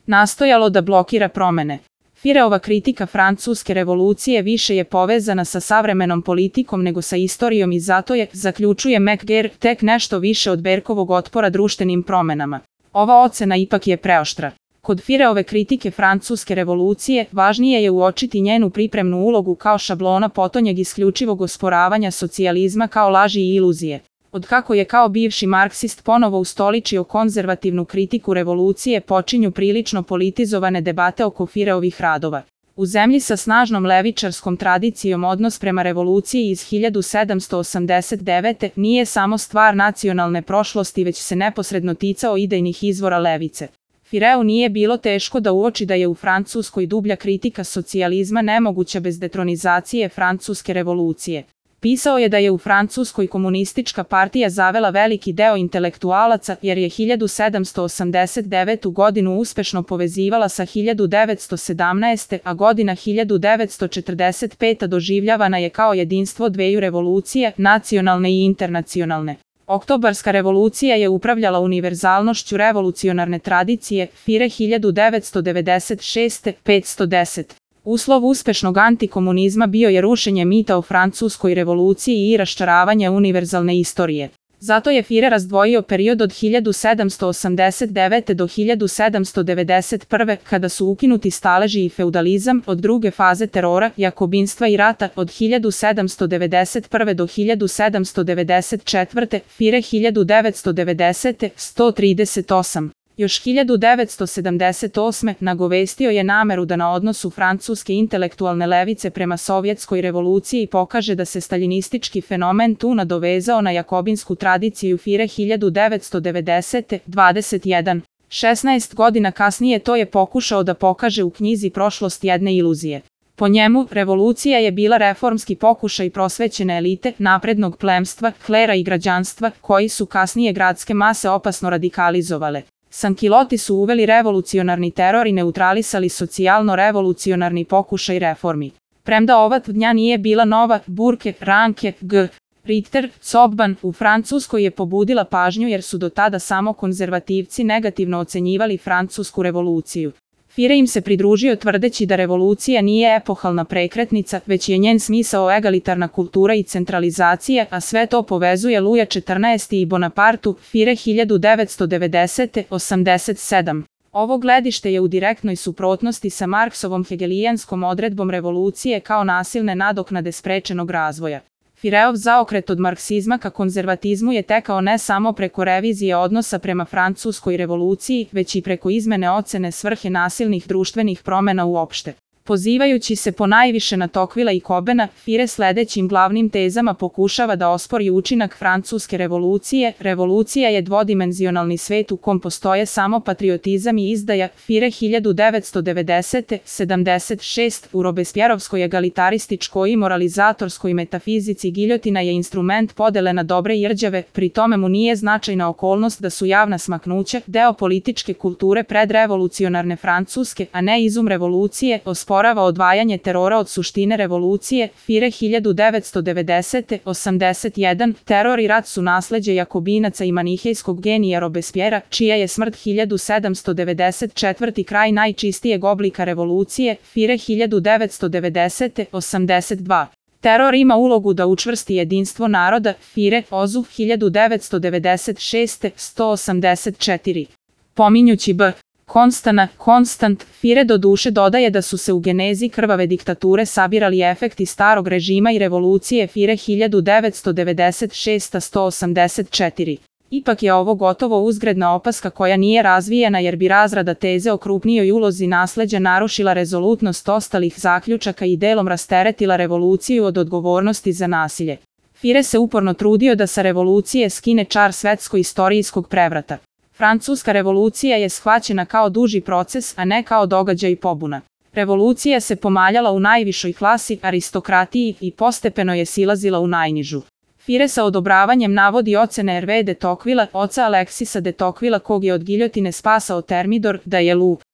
nastojalo da blokira promene. Fireova kritika francuske revolucije više je povezana sa savremenom politikom nego sa istorijom i zato je, zaključuje McGeer, tek nešto više od Berkovog otpora društvenim promenama. Ova ocena ipak je preoštra. Kod Fireove kritike francuske revolucije, važnije je uočiti njenu pripremnu ulogu kao šablona potonjeg isključivog osporavanja socijalizma kao laži i iluzije. Otkako je kao bivši marksist ponovo ustoličio konzervativnu kritiku revolucije, počinju prilično politizovane debate oko Fireovih radova. U zemlji sa snažnom levičarskom tradicijom odnos prema revoluciji iz 1789. nije samo stvar nacionalne prošlosti, već se neposredno ticao idejnih izvora levice. Fireu nije bilo teško da uoči da je u Francuskoj dublja kritika socijalizma nemoguća bez detronizacije francuske revolucije. Pisao je da je u Francuskoj komunistička partija zavela veliki deo intelektualaca jer je 1789. godinu uspešno povezivala sa 1917. a godina 1945. doživljavana je kao jedinstvo dveju revolucije, nacionalne i internacionalne. Oktobarska revolucija je upravljala univerzalnošću revolucionarne tradicije, Fire 1996. 510. Uslov uspešnog antikomunizma bio je rušenje mita o francuskoj revoluciji i raščaravanje univerzalne istorije. Zato je Fire razdvojio period od 1789. do 1791. kada su ukinuti staleži i feudalizam, od druge faze terora, jakobinstva i rata, od 1791. do 1794. Fire 1990. 138. Još 1978. nagovestio je nameru da na odnosu francuske intelektualne levice prema sovjetskoj revoluciji pokaže da se staljinistički fenomen tu nadovezao na jakobinsku tradiciju Fire 1990. 21. 16 godina kasnije to je pokušao da pokaže u knjizi Prošlost jedne iluzije. Po njemu, revolucija je bila reformski pokušaj prosvećene elite, naprednog plemstva, klera i građanstva, koji su kasnije gradske mase opasno radikalizovale. Sankiloti su uveli revolucionarni teror i neutralisali socijalno-revolucionarni pokušaj reformi. Premda ova tvrdnja nije bila nova, Burke, Ranke, G. Richter, Zobban u Francuskoj je pobudila pažnju jer su do tada samo konzervativci negativno ocenjivali francusku revoluciju. Fire im se pridružio tvrdeći da revolucija nije epohalna prekretnica, već je njen smisao egalitarna kultura i centralizacija, a sve to povezuje Luja XIV i Bonapartu, Fire 1990. 87. Ovo gledište je u direktnoj suprotnosti sa Marksovom hegelijanskom odredbom revolucije kao nasilne nadoknade sprečenog razvoja. Fireov zaokret od marksizma ka konzervatizmu je tekao ne samo preko revizije odnosa prema francuskoj revoluciji, već i preko izmene ocene svrhe nasilnih društvenih promena uopšte. Pozivajući se ponajviše na Tocquevilla i Cobena, Fire sledećim glavnim tezama pokušava da ospori učinak francuske revolucije. Revolucija je dvodimenzionalni svet u kom postoje samo patriotizam i izdaja. Fire 1990. 76. U Robespierrovskoj egalitarističkoj i moralizatorskoj metafizici giljotina je instrument podele na dobre i rđave, pri tome mu nije značajna okolnost da su javna smaknuća deo političke kulture predrevolucionarne Francuske, a ne izum revolucije, osporava odvajanje terora od suštine revolucije. Fire 1990. 81. Teror i rat su nasleđe jakobinaca i manihejskog genija Robespiera, čija je smrt 1794. kraj najčistijeg oblika revolucije. Fire 1990. 82. Teror ima ulogu da učvrsti jedinstvo naroda. Fire, Ozu, 1996. 184. Pominjući B. Constant, Fire do duše dodaje da su se u genezi krvave diktature sabirali efekti starog režima i revolucije. Fire 1996. 184. Ipak je ovo gotovo uzgredna opaska koja nije razvijena jer bi razrada teze o krupnijoj ulozi nasleđa narušila rezolutnost ostalih zaključaka i delom rasteretila revoluciju od odgovornosti za nasilje. Fire se uporno trudio da sa revolucije skine čar svetsko-istorijskog prevrata. Francuska revolucija je shvaćena kao duži proces, a ne kao događaj pobuna. Revolucija se pomaljala u najvišoj klasi, aristokratiji, i postepeno je silazila u najnižu. Fire sa odobravanjem navodi ocene Hervé de Tocquevilla, oca Alexisa de Tocquevilla kog je od giljotine spasao Thermidor, da je